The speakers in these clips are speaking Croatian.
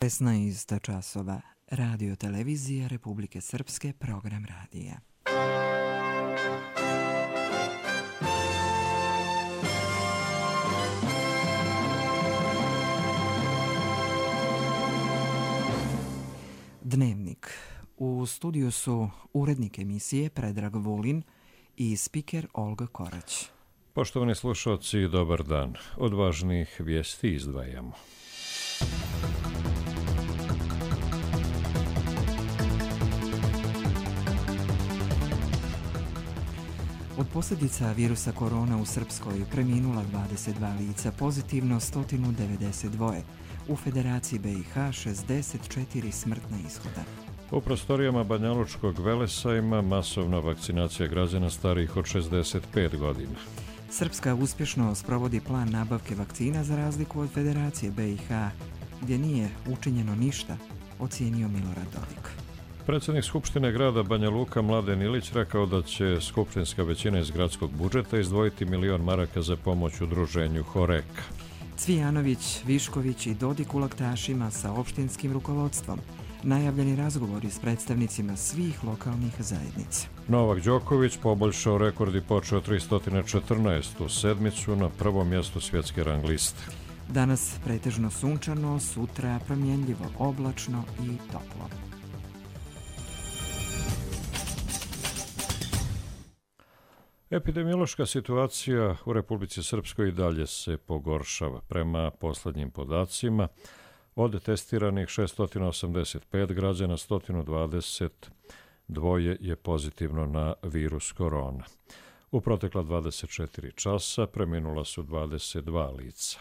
16 časova. Radio televizija Republike Srpske, program radija. Dnevnik. U studiju su urednik emisije Predrag Vulin i spiker Olga Korać. Poštovani slušalci, dobar dan. Od važnih vijesti izdvajamo. Od posljedica virusa korona u Srpskoj preminula 22 lica, pozitivno 192. U Federaciji BiH 64 smrtna ishoda. U prostorijama Banjalučkog Velesajma masovna vakcinacija građana starijih od 65 godina. Srpska uspješno sprovodi plan nabavke vakcina za razliku od Federacije BiH, gdje nije učinjeno ništa, ocijenio Milorad Dodik. Predsjednik Skupštine grada Banja Luka Mladen Ilić rekao da će skupštinska većina iz gradskog budžeta izdvojiti 1.000.000 maraka za pomoć udruženju Horeka. Cvijanović, Višković i Dodik u laktašima sa opštinskim rukovodstvom. Najavljeni razgovori s predstavnicima svih lokalnih zajednica. Novak Đoković poboljšao rekord i počeo 314. sedmicu na prvom mjestu svjetske rang liste. Danas pretežno sunčano, sutra promjenljivo, oblačno i toplo. Epidemiološka situacija u Republici Srpskoj i dalje se pogoršava. Prema posljednjim podacima, od testiranih 685 građana, 122 je pozitivno na virus korona. U protekla 24 časa preminula su 22 lica.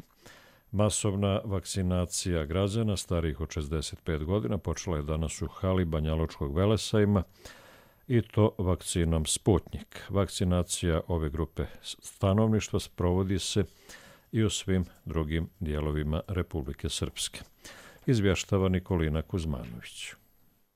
Masovna vakcinacija građana starijih od 65 godina počela je danas u hali Banjalučkog Velesajma, i to vakcinom Sputnjik. Vakcinacija ove grupe stanovništva sprovodi se i u svim drugim dijelovima Republike Srpske. Izvještava Nikolina Kuzmanović.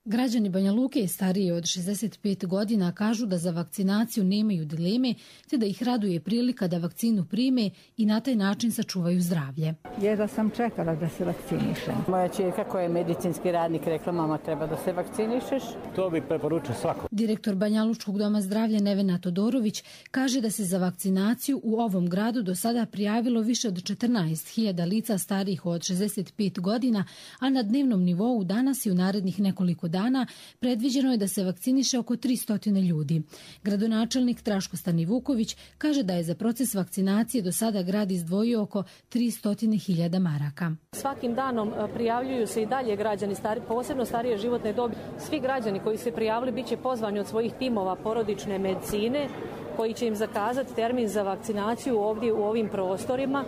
Građani Banja Luke stariji od 65 godina kažu da za vakcinaciju nemaju dileme, te da ih raduje prilika da vakcinu prime i na taj način sačuvaju zdravlje. Jedva sam čekala da se vakcinišem. Moja ćerka koja je medicinski radnik rekla, mama, treba da se vakcinišeš. To bi preporučio svako. Direktor Banjalučkog doma zdravlja Nevena Todorović kaže da se za vakcinaciju u ovom gradu do sada prijavilo više od 14.000 lica starijih od 65 godina, a na dnevnom nivou danas i u narednih nekoliko dana predviđeno je da se vakciniše oko 300 ljudi. Gradonačelnik Draško Stanivuković kaže da je za proces vakcinacije do sada grad izdvojio oko 300.000 maraka. Svakim danom prijavljuju se i dalje građani, posebno starije životne dobi. Svi građani koji se prijavili bit će pozvani od svojih timova porodične medicine koji će im zakazati termin za vakcinaciju ovdje u ovim prostorima.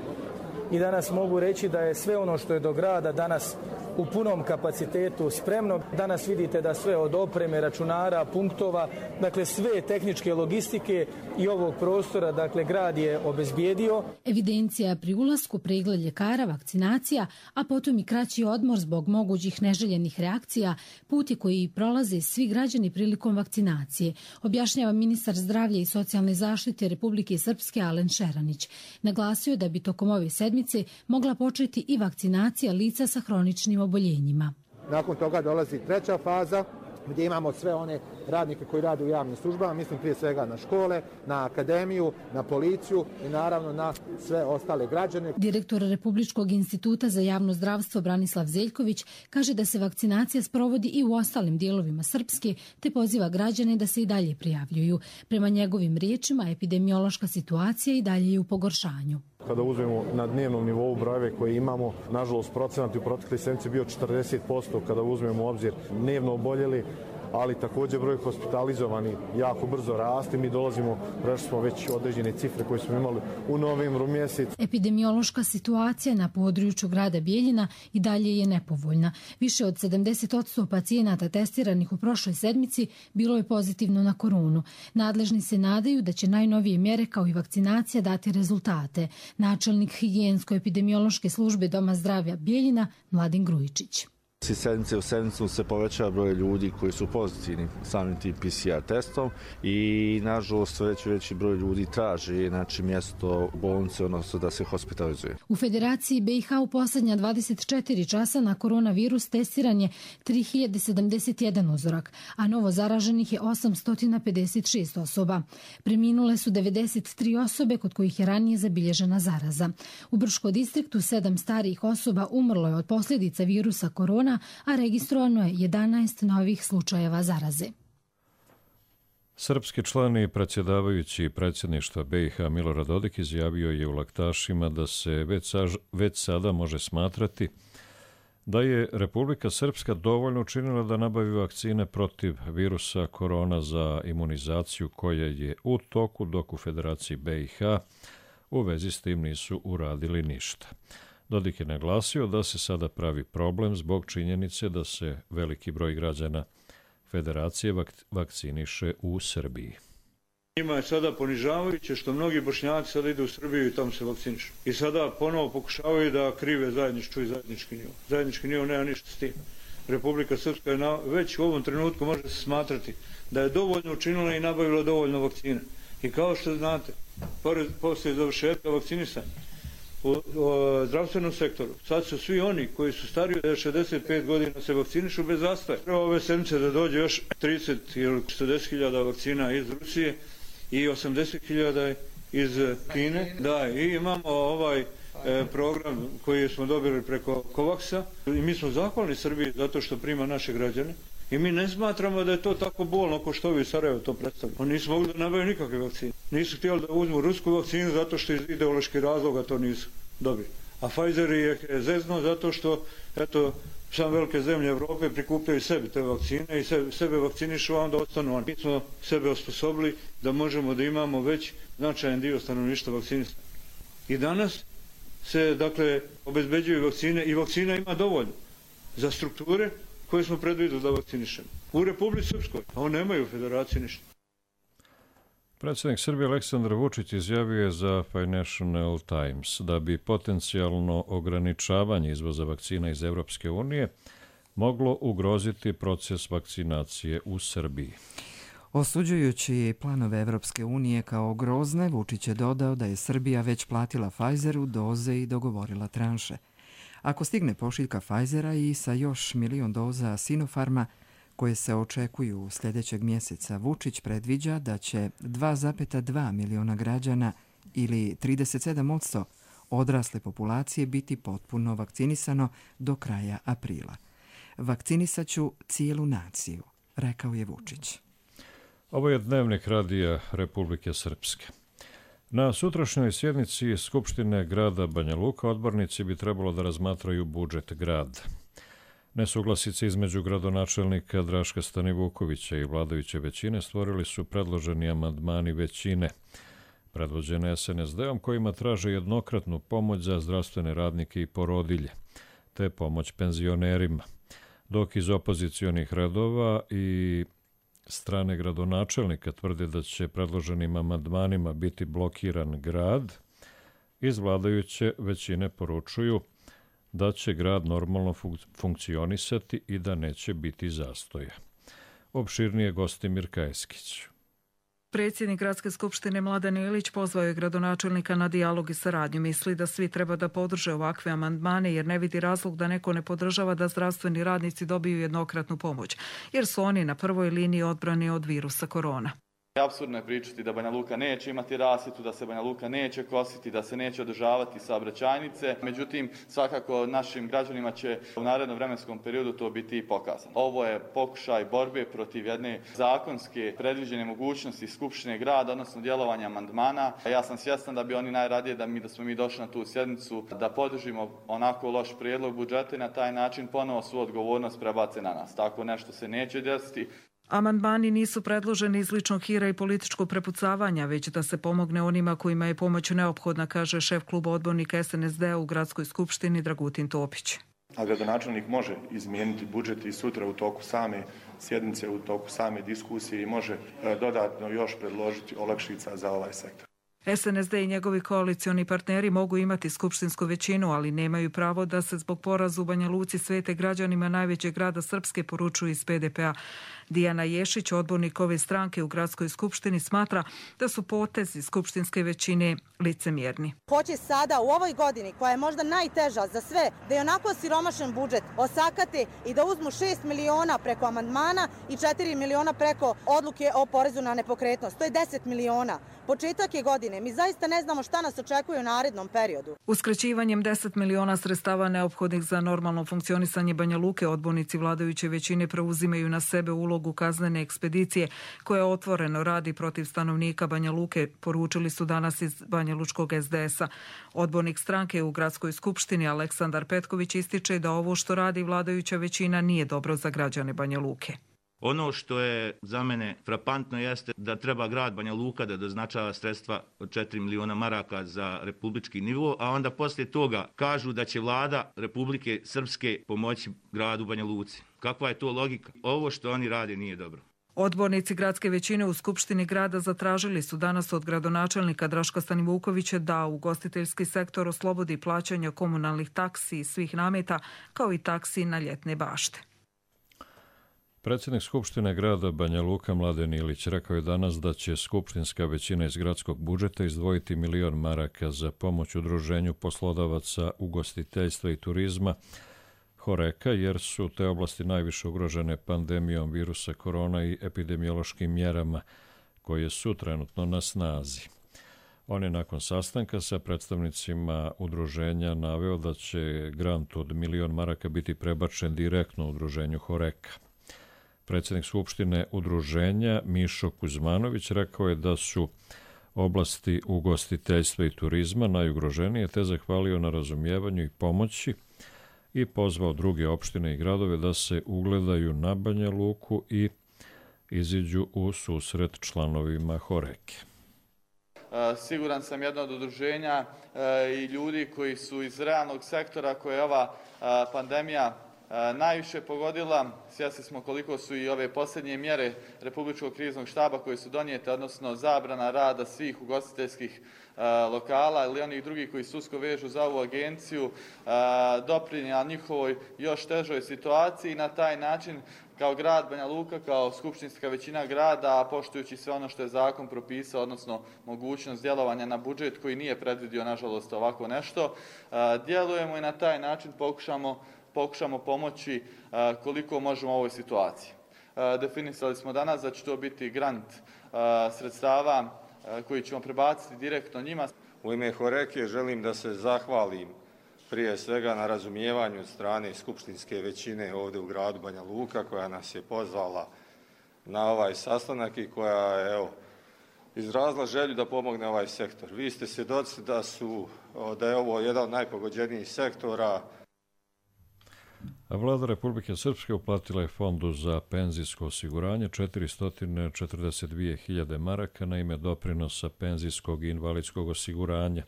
I danas mogu reći da je sve ono što je do grada danas u punom kapacitetu spremno. Danas vidite da sve od opreme, računara, punktova, dakle sve tehničke logistike i ovog prostora, dakle grad je obezbijedio. Evidencija pri ulasku, pregled ljekara, vakcinacija, a potom i kraći odmor zbog mogućih neželjenih reakcija, puti koji prolaze svi građani prilikom vakcinacije, objašnjava ministar zdravlja i socijalne zaštite Republike Srpske Alen Šeranić. Naglasio da bi tokom ove sedmice mogla početi i vakcinacija lica sa hroničnim oboljenjima. Nakon toga dolazi treća faza gdje imamo sve one radnike koji rade u javnim službama, mislim prije svega na škole, na akademiju, na policiju i naravno na sve ostale građane. Direktor Republičkog instituta za javno zdravstvo Branislav Zeljković kaže da se vakcinacija sprovodi i u ostalim dijelovima Srpske, te poziva građane da se i dalje prijavljuju. Prema njegovim riječima, epidemiološka situacija i dalje je u pogoršanju. Kada uzmemo na dnevnom nivou brojeve koje imamo, nažalost procenat u proteklih sedmici bio 40%, kada uzmemo u obzir dnevno oboljeli, ali također broj hospitalizovani jako brzo raste. Mi dolazimo, prešli smo već određene cifre koje smo imali u novembru mjesecu. Epidemiološka situacija na području grada Bijeljina i dalje je nepovoljna. Više od 70% pacijenata testiranih u prošloj sedmici bilo je pozitivno na koronu. Nadležni se nadaju da će najnovije mjere kao i vakcinacija dati rezultate. Načelnik higijensko-epidemiološke službe Doma zdravlja Bijeljina Mladen Grujičić. Iz sedmice u sedmicu se povećava broj ljudi koji su pozitivni samim tim PCR testom i nažalost veći broj ljudi traži mjesto u bolnici, odnosno da se hospitalizuje. U Federaciji BiH u posljednja 24 časa na koronavirus testiran je 3071 uzorak, a novo zaraženih je 856 osoba. Preminule su 93 osobe kod kojih je ranije zabilježena zaraza. U Brčko distriktu 7 starijih osoba umrlo je od posljedica virusa korona, a registrovano je 11 novih slučajeva zaraze. Srpski član i predsjedavajući predsjedništva BiH Milorad Dodik izjavio je u Laktašima da se već sada može smatrati da je Republika Srpska dovoljno učinila da nabavi vakcine protiv virusa korona za imunizaciju koja je u toku, dok u Federaciji BiH u vezi s tim nisu uradili ništa. Dodik je naglasio da se sada pravi problem zbog činjenice da se veliki broj građana Federacije vakciniše u Srbiji. Njima je sada ponižavajuće što mnogi Bošnjaci sada idu u Srbiju i tamo se vakcinišu. I sada ponovo pokušavaju da krive zajednički nivo. Zajednički nivo nema ništa s tim. Republika Srpska je već u ovom trenutku može se smatrati da je dovoljno učinila i nabavila dovoljno vakcine. I kao što znate, poslije završetka vakcinisanja u zdravstvenom sektoru, sad su svi oni koji su stariji od 65 godina se vakcinišu bez zastoja. Treba ove sedmice da dođe još 30 ili 40.000 vakcina iz Rusije i 80.000 iz Kine. Da, i imamo ovaj program koji smo dobili preko Covaxa i mi smo zahvalni Srbiji zato što prima naše građane. I mi ne smatramo da je to tako bolno kao što ovi u Sarajevo to predstavljaju. Oni nisu mogli da nabavaju nikakve vakcine. Nisu htjeli da uzmu rusku vakcinu zato što iz ideoloških razloga to nisu dobili. A Pfizer je zezno zato što sam velike zemlje Evrope prikupljaju sebi te vakcine i sebe vakcinišu, a onda ostanu oni. Mi smo sebe osposobili da možemo da imamo već značajan dio stanovništva vakcinisan. I danas se, obezbeđuju vakcine i vakcina ima dovoljno za strukture koje smo predvidjeli da vakcinišemo. U Republici Srpskoj, a oni nemaju u Federaciji ništa. Predsjednik Srbije Aleksandar Vučić izjavio je za Financial Times da bi potencijalno ograničavanje izvoza vakcina iz Evropske unije moglo ugroziti proces vakcinacije u Srbiji. Osuđujući planove Evropske unije kao grozne, Vučić je dodao da je Srbija već platila Pfizeru doze i dogovorila tranše. Ako stigne pošiljka Pfizera i sa još 1 milion doza Sinopharma, koje se očekuju sljedećeg mjeseca, Vučić predviđa da će 2,2 miliona građana ili 37% odrasle populacije biti potpuno vakcinisano do kraja aprila. Vakcinisat ću cijelu naciju, rekao je Vučić. Ovo je dnevnik radija Republike Srpske. Na sutrašnjoj sjednici Skupštine grada Banja Luka odbornici bi trebalo da razmatraju budžet grada. Nesuglasice između gradonačelnika Draška Stanivukovića i vladajuće većine stvorili su predloženi amandmani većine, predvođene SNSD-om, kojima traže jednokratnu pomoć za zdravstvene radnike i porodilje, te pomoć penzionerima, dok iz opozicionih redova i strane gradonačelnika tvrde da će predloženim amandmanima biti blokiran grad, iz vladajuće većine poručuju da će grad normalno funkcionisati i da neće biti zastoja. Opširnije Gostimir Kajeskić. Predsjednik Gradske skupštine Mladen Ilić pozvao je gradonačelnika na dijalog i saradnju. Misli da svi treba da podrže ovakve amandmane jer ne vidi razlog da neko ne podržava da zdravstveni radnici dobiju jednokratnu pomoć, jer su oni na prvoj liniji odbrane od virusa korona. Apsurdno je pričati da Banja Luka neće imati rasvjetu, da se Banja Luka neće kositi, da se neće održavati saobraćajnice. Međutim, svakako našim građanima će u narednom vremenskom periodu to biti pokazano. Ovo je pokušaj borbe protiv jedne zakonske predviđene mogućnosti Skupštine grada, odnosno djelovanja amandmana. Ja sam svjestan da bi oni najradije da smo mi došli na tu sjednicu, da podržimo onako loš prijedlog budžeta i na taj način ponovo svu odgovornost prebace na nas. Tako nešto se neće desiti. Amandmani nisu predloženi iz ličnog hira i političkog prepucavanja, već da se pomogne onima kojima je pomoć neophodna, kaže šef kluba odbornika SNSD-a u Gradskoj skupštini Dragutin Topić. A gradonačelnik može izmijeniti budžet i sutra u toku same sjednice, u toku same diskusije i može dodatno još predložiti olakšica za ovaj sektor. SNSD i njegovi koalicioni partneri mogu imati skupštinsku većinu, ali nemaju pravo da se zbog poraza u Banja Luci svete građanima najvećeg grada Srpske, poručuju iz PDP-a. Dijana Ješić, odbornik ove stranke u gradskoj skupštini, smatra da su potezi skupštinske većine licemjerni. Hoće sada u ovoj godini, koja je možda najteža za sve, da je onako siromašan budžet osakate i da uzmu 6 miliona preko amandmana i 4 miliona preko odluke o porezu na nepokretnost. To je 10 miliona. Početak je godine. Mi zaista ne znamo šta nas očekuje u narednom periodu. Uskraćivanjem 10 miliona sredstava neophodnih za normalno funkcionisanje Banja Luke, odbornici vladajuće većine preuzimaju na sebe ulogu kaznene ekspedicije koja otvoreno radi protiv stanovnika Banja Luke, poručili su danas iz Banja Lučkog SDS-a. Odbornik stranke u gradskoj skupštini Aleksandar Petković ističe da ovo što radi vladajuća većina nije dobro za građane Banja Luke. Ono što je za mene frapantno jeste da treba grad Banja Luka da doznačava sredstva od 4 miliona maraka za republički nivo, a onda poslije toga kažu da će vlada Republike Srpske pomoći gradu Banja Luci. Kakva je to logika? Ovo što oni rade nije dobro. Odbornici gradske većine u Skupštini grada zatražili su danas od gradonačelnika Draška Stanivukovića da ugostiteljski sektor oslobodi plaćanja komunalnih taksi i svih nameta, kao i taksi na ljetne bašte. Predsjednik Skupštine grada Banja Luka Mladen Ilić rekao je danas da će skupštinska većina iz gradskog budžeta izdvojiti 1 milion maraka za pomoć udruženju poslodavaca ugostiteljstva i turizma Horeka, jer su te oblasti najviše ugrožene pandemijom virusa korona i epidemiološkim mjerama koje su trenutno na snazi. On je nakon sastanka sa predstavnicima udruženja naveo da će grant od 1 milion maraka biti prebačen direktno udruženju Horeka. Predsjednik Skupštine udruženja Mišo Kuzmanović rekao je da su oblasti ugostiteljstva i turizma najugroženije, te zahvalio na razumijevanju i pomoći i pozvao druge opštine i gradove da se ugledaju na Banja Luku i iziđu u susret članovima Horeke. Siguran sam jedno od udruženja i ljudi koji su iz realnog sektora koje je ova pandemija najviše pogodila. Svjesni smo koliko su i ove posljednje mjere Republičkog kriznog štaba koje su donijete, odnosno zabrana rada svih ugostiteljskih lokala ili onih drugih koji se usko vežu za ovu agenciju, doprinijela njihovoj još težoj situaciji i na taj način kao grad Banja Luka, kao skupštinska većina grada, a poštujući sve ono što je zakon propisao, odnosno mogućnost djelovanja na budžet koji nije predvidio, nažalost, ovako nešto, djelujemo i na taj način pokušamo pomoći koliko možemo u ovoj situaciji. Definisali smo danas da će to biti grant sredstava koji ćemo prebaciti direktno njima. U ime Horeke želim da se zahvalim prije svega na razumijevanju od strane skupštinske većine ovdje u gradu Banja Luka koja nas je pozvala na ovaj sastanak i koja je izrazila želju da pomogne ovaj sektor. Vi ste svjedoci da je ovo jedan od najpogođenijih sektora. A vlada Republike Srpske uplatila je Fondu za penzijsko osiguranje 442.000 maraka na ime doprinosa penzijskog i invalidskog osiguranja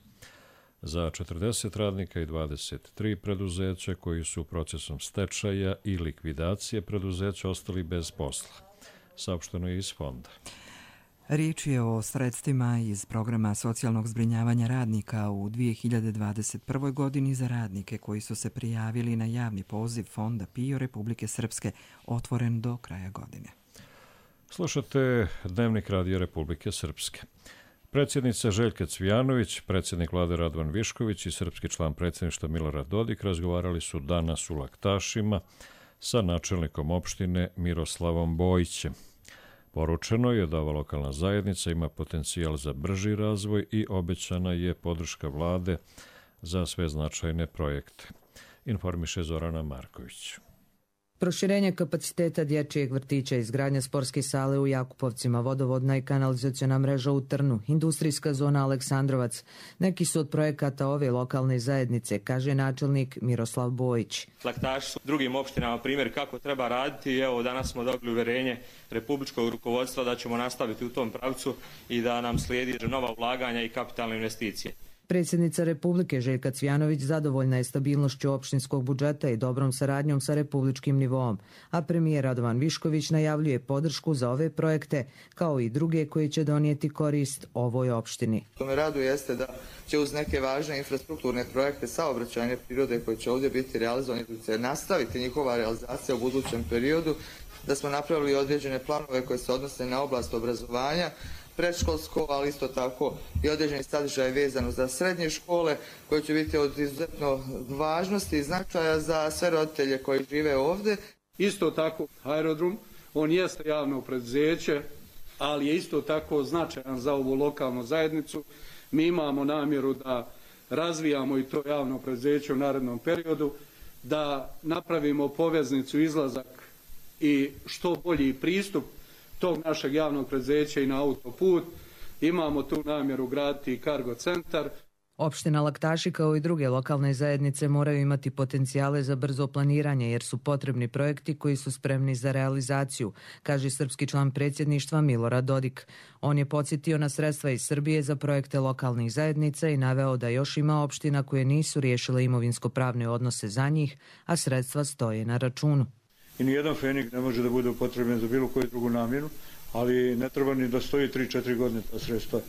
za 40 radnika i 23 preduzeća koji su procesom stečaja i likvidacije preduzeća ostali bez posla. Saopšteno je iz fonda. Riječ je o sredstvima iz programa socijalnog zbrinjavanja radnika u 2021. godini za radnike koji su se prijavili na javni poziv Fonda PIO Republike Srpske, otvoren do kraja godine. Slušate Dnevnik radija Republike Srpske. Predsjednica Željka Cvijanović, predsjednik vlade Radovan Višković i srpski član predsjedništva Milorad Dodik razgovarali su danas u Laktašima sa načelnikom opštine Miroslavom Bojićem. Poručeno je da ova lokalna zajednica ima potencijal za brži razvoj i obećana je podrška vlade za sve značajne projekte. Informiše Zorana Marković. Proširenje kapaciteta dječjeg vrtića, izgradnja sportske sale u Jakupovcima, vodovodna i kanalizaciona mreža u Trnu, industrijska zona Aleksandrovac. Neki su od projekata ove lokalne zajednice, kaže načelnik Miroslav Bojić. Laktaši su drugim opštinama primjer kako treba raditi i evo danas smo dobili uverenje republičkog rukovodstva da ćemo nastaviti u tom pravcu i da nam slijedi nova ulaganja i kapitalne investicije. Predsjednica Republike Željka Cvjanović zadovoljna je stabilnošću opštinskog budžeta i dobrom saradnjom sa republičkim nivoom, a premijer Radovan Višković najavljuje podršku za ove projekte, kao i druge koji će donijeti korist ovoj opštini. To me raduje jeste da će uz neke važne infrastrukturne projekte saobraćajne prirode koji će ovdje biti realizovani, da će nastaviti njihova realizacija u budućem periodu, da smo napravili određene planove koje se odnose na oblast obrazovanja, predškolsko, ali isto tako i određeni sadržaj vezano za srednje škole koji će biti od izuzetno važnosti i značaja za sve roditelje koji žive ovdje. Isto tako aerodrom, on jeste javno preduzeće, ali je isto tako značajan za ovu lokalnu zajednicu. Mi imamo namjeru da razvijamo i to javno preduzeće u narednom periodu, da napravimo poveznicu, izlazak i što bolji pristup tog našeg javnog preduzeća i na autoput. Imamo tu namjeru graditi i kargo centar. Opština Laktaši kao i druge lokalne zajednice moraju imati potencijale za brzo planiranje jer su potrebni projekti koji su spremni za realizaciju, kaže srpski član predsjedništva Milorad Dodik. On je podsjetio na sredstva iz Srbije za projekte lokalnih zajednica i naveo da još ima opština koje nisu riješile imovinsko-pravne odnose za njih, a sredstva stoje na računu. I nijedan fenik ne može da bude upotrebljen za bilo koju drugu namjenu, ali ne treba ni da stoji 3-4 godine ta sredstva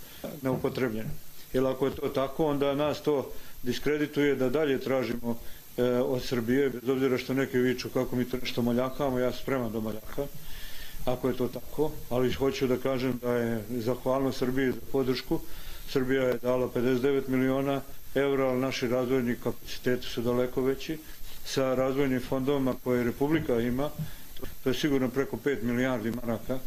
neupotrebljena. Jer ako je to tako, onda nas to diskredituje da dalje tražimo od Srbije, bez obzira što neki viču kako mi to nešto moljakamo, ja sam spreman da moljakam, ako je to tako, ali hoću da kažem da je zahvalno Srbiji za podršku. Srbija je dala 59 miliona evra, ali naši razvojni kapaciteti su daleko veći. Sa razvojnim fondovima koje Republika ima, to je sigurno preko 5 milijardi maraka,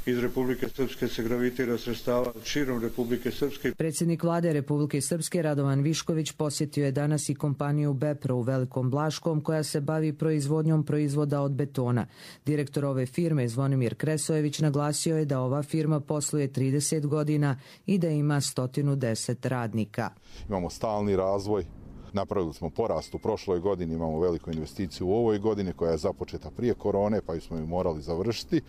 iz Republike Srpske se gravitira sredstava širom Republike Srpske. Predsjednik vlade Republike Srpske Radovan Višković posjetio je danas i kompaniju Bepro u Velikom Blaškom koja se bavi proizvodnjom proizvoda od betona. Direktor ove firme Zvonimir Kresojević naglasio je da ova firma posluje 30 godina i da ima 110 radnika. Imamo stalni razvoj. Napravili smo porast u prošloj godini, imamo veliku investiciju u ovoj godini koja je započeta prije korone, pa smo ju morali završiti.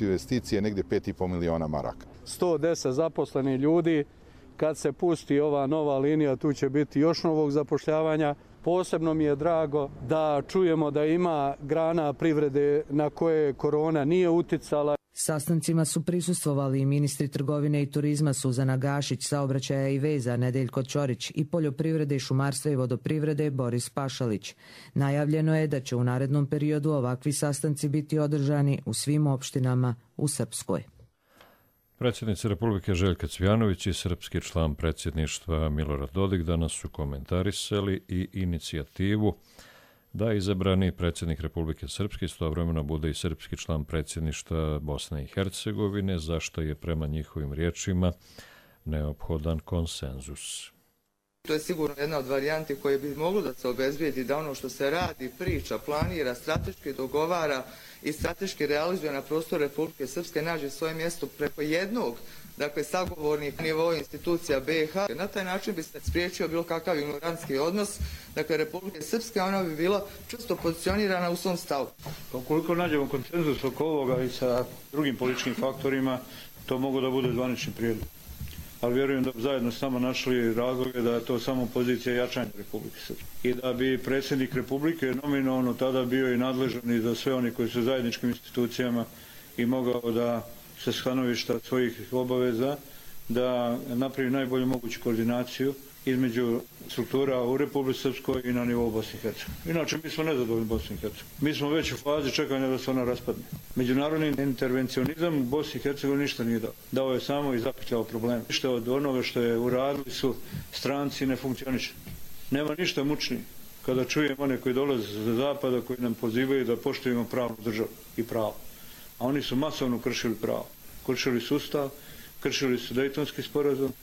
Investicije je negdje 5,5 miliona maraka. 110 zaposlenih ljudi, kad se pusti ova nova linija, tu će biti još novog zapošljavanja. Posebno mi je drago da čujemo da ima grana privrede na koje korona nije uticala. Sastancima su prisustvovali i ministri trgovine i turizma Suzana Gašić, saobraćaja i veza Nedeljko Ćorić i poljoprivrede i šumarstva i vodoprivrede Boris Pašalić. Najavljeno je da će u narednom periodu ovakvi sastanci biti održani u svim opštinama u Srpskoj. Predsjednica Republike Željka Cvjanović i srpski član predsjedništva Milorad Dodik danas su komentarisali i inicijativu da izabrani predsjednik Republike Srpske istovremeno bude i srpski član predsjedništva Bosne i Hercegovine, zašto je prema njihovim riječima neophodan konsenzus. To je sigurno jedna od varijanti koje bi moglo da se obezbijedi da ono što se radi, priča, planira, strateški dogovara i strateški realizuje na prostoru Republike Srpske nađe svoje mjesto preko jednog, dakle, sagovornih nivoa institucija BiH. Na taj način bi se spriječio bilo kakav ignorantski odnos, dakle, Republike Srpske, ona bi bila čvrsto pozicionirana u svom stavu. Ukoliko nađemo konsenzus oko ovoga i sa drugim političkim faktorima, to mogu da bude zvanični prijedlog. Ali vjerujem da bi zajedno s nama našli razloge da je to samo pozicija jačanja Republike Srpske. I da bi predsjednik Republike nominalno tada bio i nadležan i za sve oni koji su zajedničkim institucijama i mogao da sa stanovišta svojih obaveza da napravi najbolju moguću koordinaciju između struktura u Republici Srpskoj i na nivou Bosne i Hercegovine. Inače, mi smo nezadovoljni Bosne i Hercegovine. Mi smo već u fazi čekanja da se ona raspadne. Međunarodni intervencionizam u Bosni i Hercegovini ništa nije dao. Dao je samo i zapetljao probleme. Ništa od onoga što je uradili su stranci ne funkcioniše. Nema ništa mučnije kada čujemo one koji dolaze sa zapada, koji nam pozivaju da poštujemo pravnu državu i pravo. A oni su masovno kršili pravo. Kršili sustav, kršili su Dejtonski sporazum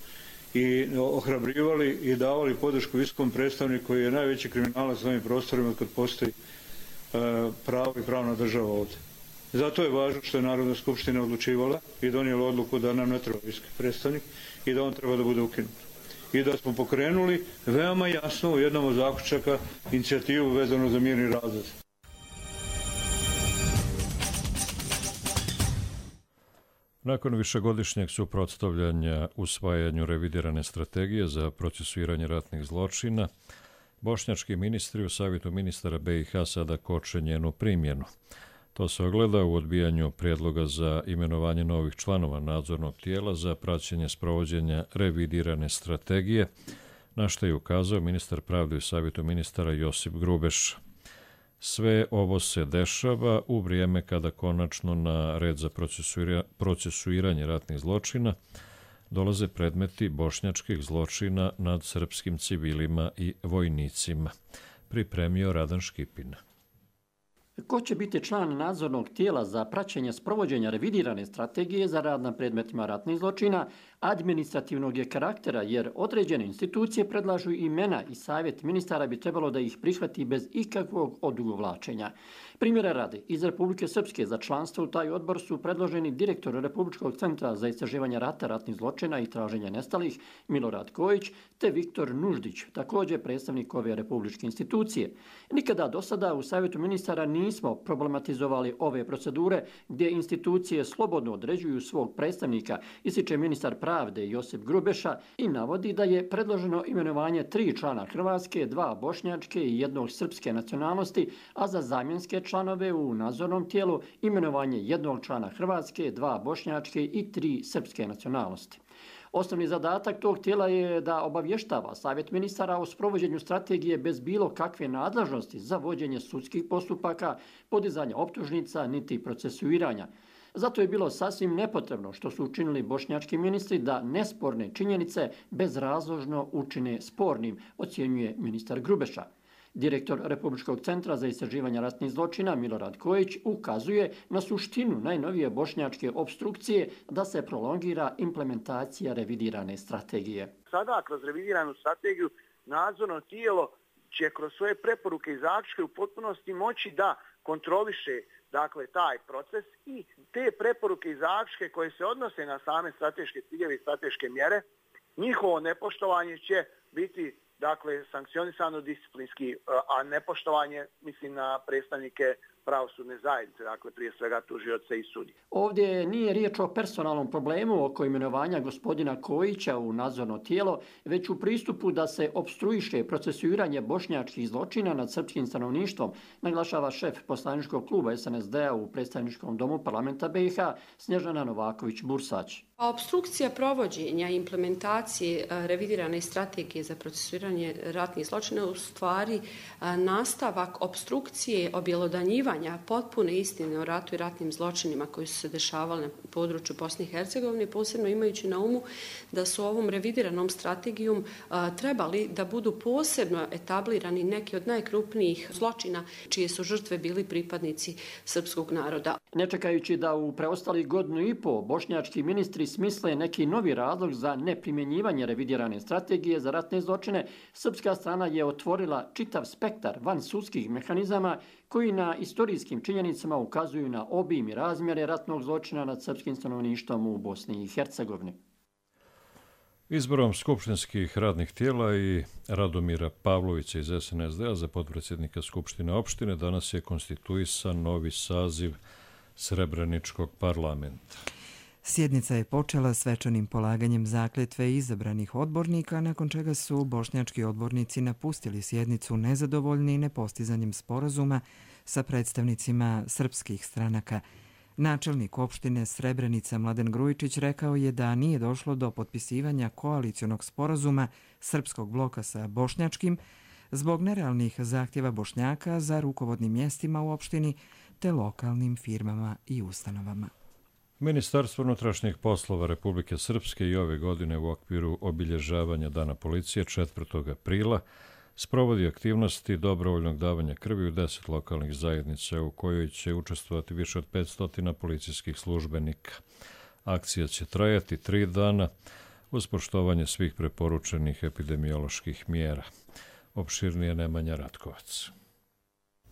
i ohrabrivali i davali podršku visokom predstavniku koji je najveći kriminalac na ovim prostorima kad postoji pravo i pravna država ovdje. Zato je važno što je Narodna skupština odlučivala i donijela odluku da nam ne treba visoki predstavnik i da on treba da bude ukinut. I da smo pokrenuli veoma jasno u jednom od zaključaka inicijativu vezano za mirni razvoj. Nakon višegodišnjeg suprotstavljanja usvajanju revidirane strategije za procesuiranje ratnih zločina, bošnjački ministri u Savjetu ministara BiH sada koče njenu primjenu. To se ogleda u odbijanju prijedloga za imenovanje novih članova nadzornog tijela za praćenje sprovođenja revidirane strategije, na što je ukazao ministar pravde u Savjetu ministara Josip Grubeš. Sve ovo se dešava u vrijeme kada konačno na red za procesuiranje ratnih zločina dolaze predmeti bošnjačkih zločina nad srpskim civilima i vojnicima. Pripremio Radan Škipin. Ko će biti član nadzornog tijela za praćenje sprovođenja revidirane strategije za rad na predmetima ratnih zločina administrativnog je karaktera, jer određene institucije predlažu imena i Savjet ministara bi trebalo da ih prihvati bez ikakvog odugovlačenja. Primjera radi, iz Republike Srpske za članstvo u taj odbor su predloženi direktor Republičkog centra za istraživanje rata, ratnih zločina i traženja nestalih Milorad Kojić te Viktor Nuždić, također predstavnik ove republičke institucije. Nikada do sada u Savjetu ministara nismo problematizovali ove procedure gdje institucije slobodno određuju svog predstavnika, ističe ministar pravde Josip Grubeša i navodi da je predloženo imenovanje 3 člana hrvatske, 2 bošnjačke i 1 srpske nacionalnosti, a za zamjenske članove u nadzornom tijelu imenovanje 1 člana hrvatske, 2 bošnjačke i 3 srpske nacionalnosti. Osnovni zadatak tog tijela je da obavještava Savjet ministara o sprovođenju strategije bez bilo kakve nadležnosti za vođenje sudskih postupaka, podizanja optužnica niti procesuiranja. Zato je bilo sasvim nepotrebno što su učinili bošnjački ministri da nesporne činjenice bezrazložno učine spornim, ocjenjuje ministar Grubeša. Direktor Republičkog centra za istraživanje ratnih zločina Milorad Kojić ukazuje na suštinu najnovije bošnjačke opstrukcije da se prolongira implementacija revidirane strategije. Sada kroz revidiranu strategiju nadzorno tijelo će kroz svoje preporuke i zaključke u potpunosti moći da kontroliše taj proces i te preporuke i zaključke koje se odnose na same strateške ciljeve i strateške mjere, njihovo nepoštovanje će biti sankcionisano disciplinski, a nepoštovanje mislim na predstavnike pravosudne zajednice, prije svega tužioce i sudije. Ovdje nije riječ o personalnom problemu oko imenovanja gospodina Kojića u nadzorno tijelo, već u pristupu da se opstruiše procesuiranje bošnjačkih zločina nad srpskim stanovništvom, naglašava šef poslaničkog kluba SNSD-a u predstavničkom domu parlamenta BiH Snježana Novaković-Bursać. Opstrukcija provođenja i implementacije revidirane strategije za procesuiranje ratnih zločina u stvari nastavak opstrukcije objelodanjivanja potpune istine o ratu i ratnim zločinima koji su se dešavali na području Bosne i Hercegovine, posebno imajući na umu da su ovom revidiranom strategijom trebali da budu posebno etablirani neki od najkrupnijih zločina čije su žrtve bili pripadnici srpskog naroda. Ne čekajući da u preostalih 1.5 godina bošnjački ministri smisle neki novi razlog za neprimjenjivanje revidirane strategije za ratne zločine, srpska strana je otvorila čitav spektar vansudskih mehanizama koji na istorijskim činjenicama ukazuju na obim i razmjere ratnog zločina nad srpskim stanovništvom u Bosni i Hercegovini. Izborom skupštinskih radnih tijela i Radomira Pavlovića iz SNSD-a za potpredsjednika Skupštine opštine danas je konstituisan novi saziv Srebreničkog parlamenta. Sjednica je počela svečanim polaganjem zakletve izabranih odbornika, nakon čega su bošnjački odbornici napustili sjednicu nezadovoljni nepostizanjem sporazuma sa predstavnicima srpskih stranaka. Načelnik opštine Srebrenica Mladen Grujičić rekao je da nije došlo do potpisivanja koalicionog sporazuma srpskog bloka sa bošnjačkim zbog nerealnih zahtjeva Bošnjaka za rukovodnim mjestima u opštini te lokalnim firmama i ustanovama. Ministarstvo unutrašnjih poslova Republike Srpske i ove godine u okviru obilježavanja Dana policije 4. aprila sprovodi aktivnosti dobrovoljnog davanja krvi u 10 lokalnih zajednica u kojoj će učestvovati više od 500 policijskih službenika. Akcija će trajati 3 dana uz poštovanje svih preporučenih epidemioloških mjera. Opširnije Nemanja Ratkovac.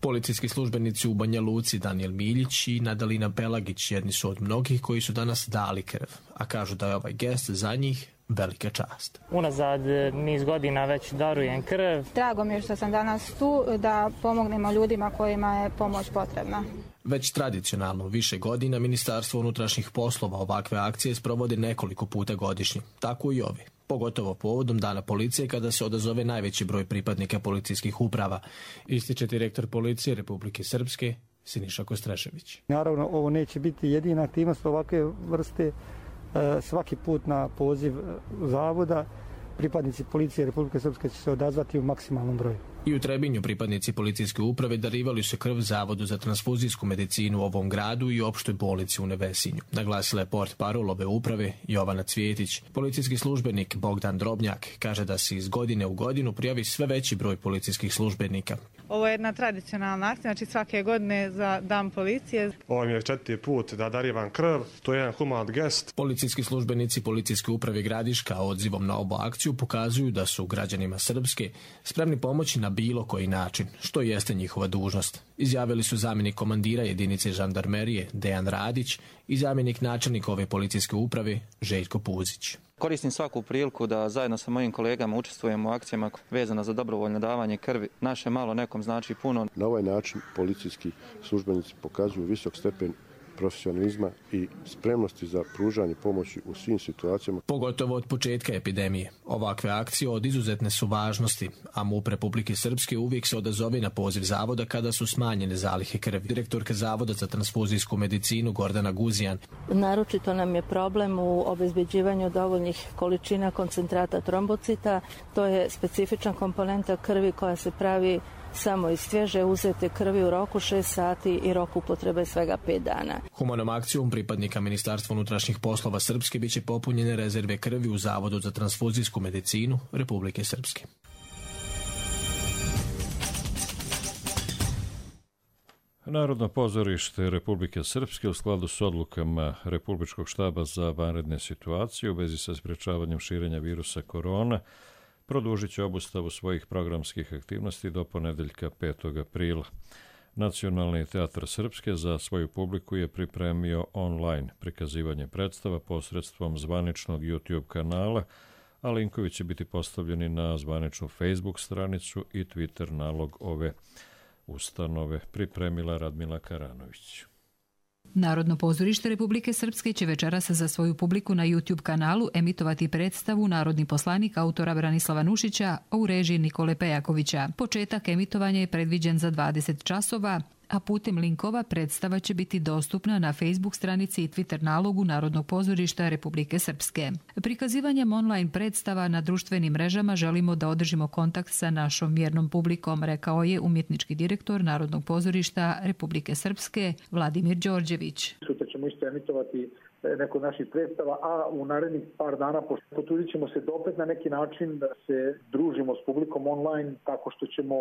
Policijski službenici u Banja Luci Daniel Miljić i Nadalina Pelagić jedni su od mnogih koji su danas dali krv, a kažu da je ovaj gest za njih velika čast. Unazad niz godina već darujem krv. Drago mi je što sam danas tu da pomognemo ljudima kojima je pomoć potrebna. Već tradicionalno više godina Ministarstvo unutrašnjih poslova ovakve akcije sprovodi nekoliko puta godišnje, tako i ove. Pogotovo povodom Dana policije kada se odazove najveći broj pripadnika policijskih uprava, ističe direktor policije Republike Srpske Siniša Kostrešević. Naravno, ovo neće biti jedina aktivnost ovakve vrste. Svaki put na poziv zavoda pripadnici policije Republike Srpske će se odazvati u maksimalnom broju. I u Trebinju pripadnici policijske uprave darivali su krv Zavodu za transfuzijsku medicinu u ovom gradu i opštoj bolnici u Nevesinju. Naglasila je portparol ove uprave Jovana Cvjetić. Policijski službenik Bogdan Drobnjak kaže da se iz godine u godinu prijavi sve veći broj policijskih službenika. Ovo je jedna tradicionalna akcija, znači svake godine za Dan policije. Ovo mi je 4. put da darivam krv, to je jedan human gest. Policijski službenici Policijske uprave Gradiška odzivom na ovu akciju pokazuju da su građanima Srpske spremni pomoći na bilo koji način, što jeste njihova dužnost. Izjavili su zamjenik komandira jedinice žandarmerije Dejan Radić i zamjenik načelnika ove policijske uprave Željko Puzić. Koristim svaku priliku da zajedno sa mojim kolegama učestvujemo u akcijama vezano za dobrovoljno davanje krvi. Naše malo nekom znači puno. Na ovaj način policijski službenici pokazuju visok stepen profesionalizma i spremnosti za pružanje pomoći u svim situacijama. Pogotovo od početka epidemije. Ovakve akcije od izuzetne su važnosti, a MUP Republike Srpske uvijek se odazove na poziv zavoda kada su smanjene zalihe krvi. Direktorka Zavoda za transfuzijsku medicinu Gordana Guzijan. Naročito nam je problem u obezbeđivanju dovoljnih količina koncentrata trombocita. To je specifična komponenta krvi koja se pravi samo iz svježe uzete krvi u roku 6 sati i rok upotrebe svega 5 dana. Humanom akcijom pripadnika Ministarstva unutrašnjih poslova Srpske biće popunjene rezerve krvi u Zavodu za transfuzijsku medicinu Republike Srpske. Narodno pozorište Republike Srpske u skladu s odlukama Republičkog štaba za vanredne situacije u vezi sa sprječavanjem širenja virusa korona produžit će obustavu svojih programskih aktivnosti do ponedeljka 5. aprila. Nacionalni teatar Srpske za svoju publiku je pripremio online prikazivanje predstava posredstvom zvaničnog YouTube kanala, a linkovi će biti postavljeni na zvaničnu Facebook stranicu i Twitter nalog ove ustanove, pripremila Radmila Karanović. Narodno pozorište Republike Srpske će večeras za svoju publiku na YouTube kanalu emitovati predstavu Narodni poslanik autora Branislava Nušića u režiji Nikole Pejakovića. Početak emitovanja je predviđen za 20 časova, a putem linkova predstava će biti dostupna na Facebook stranici i Twitter nalogu Narodnog pozorišta Republike Srpske. Prikazivanjem online predstava na društvenim mrežama želimo da održimo kontakt sa našom vjernom publikom, rekao je umjetnički direktor Narodnog pozorišta Republike Srpske Vladimir Đorđević. Sutra ćemo isto emitovati neko naših predstava, a u narednih par dana potrudit ćemo se opet na neki način da se družimo s publikom online tako što ćemo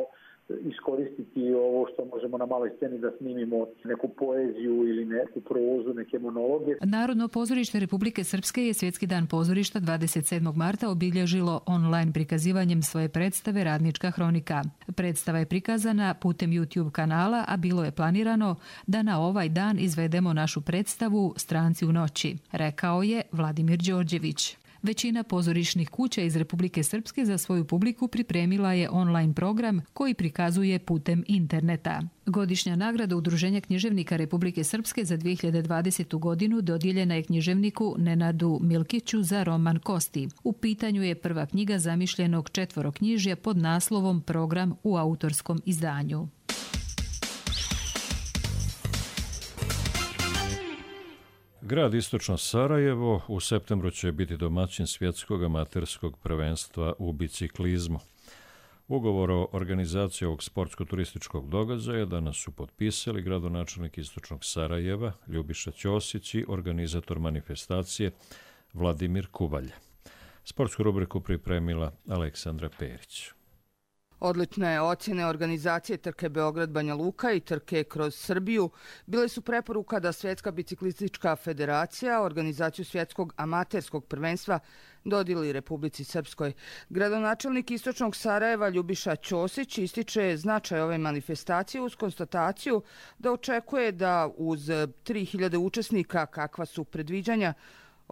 iskoristiti ovo što možemo na maloj sceni da snimimo neku poeziju ili neku prozu, neke monologe. Narodno pozorište Republike Srpske je Svjetski dan pozorišta 27. marta obilježilo online prikazivanjem svoje predstave Radnička hronika. Predstava je prikazana putem YouTube kanala, a bilo je planirano da na ovaj dan izvedemo našu predstavu Stranci u noći, rekao je Vladimir Đorđević. Većina pozorišnih kuća iz Republike Srpske za svoju publiku pripremila je online program koji prikazuje putem interneta. Godišnja nagrada Udruženja književnika Republike Srpske za 2020. godinu dodijeljena je književniku Nenadu Milkiću za roman Kosti. U pitanju je prva knjiga zamišljenog četveroknjižja pod naslovom Program u autorskom izdanju. Grad Istočno Sarajevo u septembru će biti domaćin svjetskog amaterskog prvenstva u biciklizmu. Ugovor o organizaciji ovog sportsko-turističkog događaja danas su potpisali gradonačelnik Istočnog Sarajeva Ljubiša Ćosić i organizator manifestacije Vladimir Kubalja. Sportsku rubriku pripremila Aleksandra Perić. Odlične ocjene organizacije trke Beograd-Banja Luka i trke kroz Srbiju bile su preporuka da Svjetska biciklistička federacija organizaciju svjetskog amaterskog prvenstva dodijeli Republici Srpskoj. Gradonačelnik Istočnog Sarajeva Ljubiša Ćosić ističe značaj ove manifestacije uz konstataciju da očekuje da uz 3000 učesnika kakva su predviđanja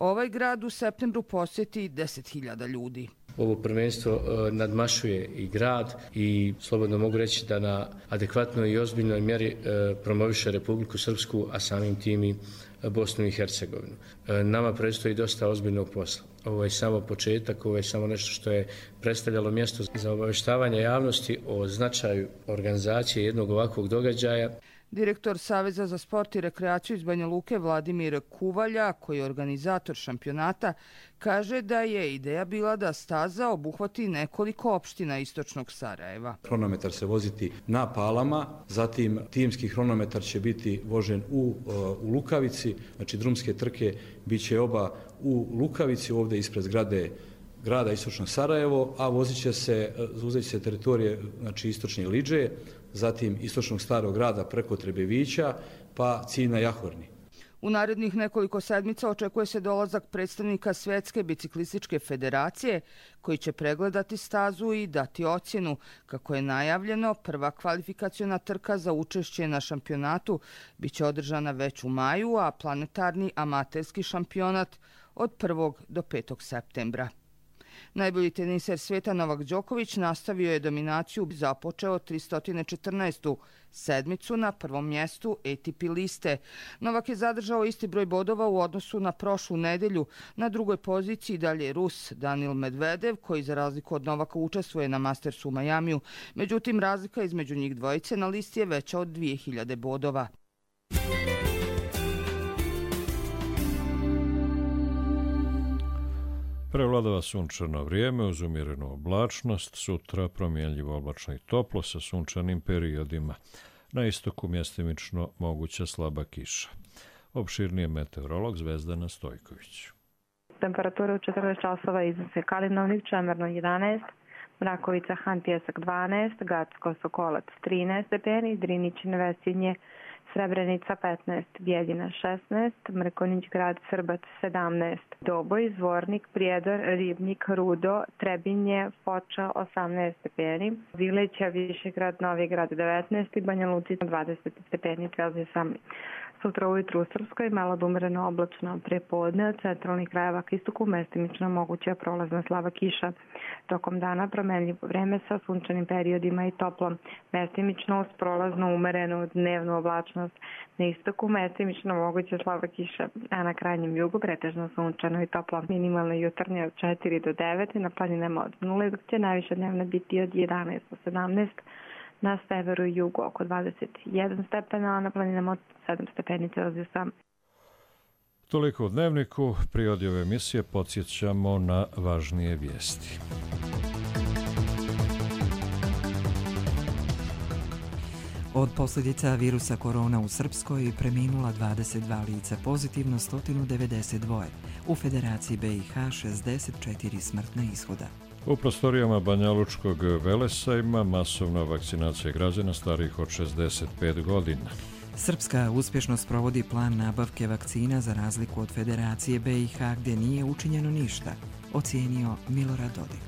Ovaj grad u septembru posjeti 10.000 ljudi. Ovo prvenstvo nadmašuje i grad i slobodno mogu reći da na adekvatnoj i ozbiljnoj mjeri promoviše Republiku Srpsku, a samim tim i Bosnu i Hercegovinu. Nama predstoji dosta ozbiljnog posla. Ovo je samo početak, ovo je samo nešto što je predstavljalo mjesto za obavještavanje javnosti o značaju organizacije jednog ovakvog događaja. Direktor Saveza za sport i rekreaciju iz Banja Luke Vladimir Kuvalja, koji je organizator šampionata, kaže da je ideja bila da staza obuhvati nekoliko opština istočnog Sarajeva. Hronometar se voziti na Palama, zatim timski hronometar će biti vožen u Lukavici, znači drumske trke bit će oba u Lukavici, ovdje ispred zgrade grada istočno Sarajevo, a uzet će se teritorije, znači istočne Lidže, zatim istočnog starog grada preko Trebevića, pa cilj na Jahorni. U narednih nekoliko sedmica očekuje se dolazak predstavnika Svjetske biciklističke federacije, koji će pregledati stazu i dati ocjenu. Kako je najavljeno, prva kvalifikaciona trka za učešće na šampionatu biće održana već u maju, a planetarni amaterski šampionat od 1. do 5. septembra. Najbolji teniser svijeta Novak Đoković nastavio je dominaciju, započeo 314. sedmicu na prvom mjestu ATP liste. Novak je zadržao isti broj bodova u odnosu na prošlu nedelju. Na drugoj poziciji dalje Rus Daniil Medvedev, koji za razliku od Novaka učestvuje na Mastersu u Majamiju. Međutim, razlika između njih dvojice na listi je veća od 2000 bodova. Prevladava sunčano vrijeme uz umjerenu oblačnost, sutra promjenljivo oblačno i toplo sa sunčanim periodima. Na istoku mjestimično moguća slaba kiša. Opširnije meteorolog Zvezdana Stojković. Temperatura u 14 časova iznose Kalinovnik, Čemerno 11, Mrakovica, Han Pjesak 12, Gacko, Sokolac 13 stepeni, Drinić, Nevesinje, Srebrenica 15, Bijeljina 16, Mrkonjić grad, Srbac 17, Doboj, Zvornik, Prijedor, Ribnik, Rudo, Trebinje, Foča 18 stepeni, Vileća, Višegrad, Novi grad 19 i Banja Lucica 20 stepeni Celzijusa. Sutra ujutru u Srpskoj malo umjereno oblačno prepodne, od centralnih krajeva k istoku mestimično moguća prolazna slaba kiša. Tokom dana promenljivo vreme sa sunčanim periodima i toplo, mestimično uz prolazno umerenu dnevnu oblačnost. Na istoku mestimično moguća slaba kiša, a na krajnjem jugu pretežno sunčano i toplo. Minimalne jutarnje od 4 do 9 i na planinama od 0, dok će najviša dnevna biti od 11 do 17. Na severu i jugu oko 21 stepena, a na planinama od 7 stepeni Celzijusa. Toliko u Dnevniku. Prije ove emisije podsjećamo na važnije vijesti. Od posljedica virusa korona u Srpskoj preminula 22 lica, pozitivno 192. U Federaciji BiH 64 smrtna ishoda. U prostorijama Banjalučkog Velesa ima masovna vakcinacija građana starijih od 65 godina. Srpska uspješno sprovodi plan nabavke vakcina za razliku od Federacije BiH gdje nije učinjeno ništa, ocijenio Milorad Dodik.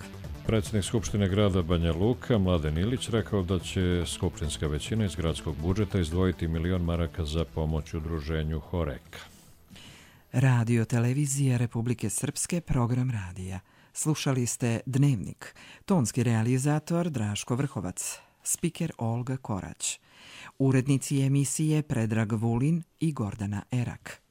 Predsjednik Skupštine grada Banja Luka, Mladen Ilić, rekao da će skupštinska većina iz gradskog budžeta izdvojiti 1 milion maraka za pomoć udruženju Horeka. Radio televizija Republike Srpske, program radija. Slušali ste Dnevnik. Tonski realizator Draško Vrhovac. Spiker Olga Korać. Urednici emisije Predrag Vulin i Gordana Erak.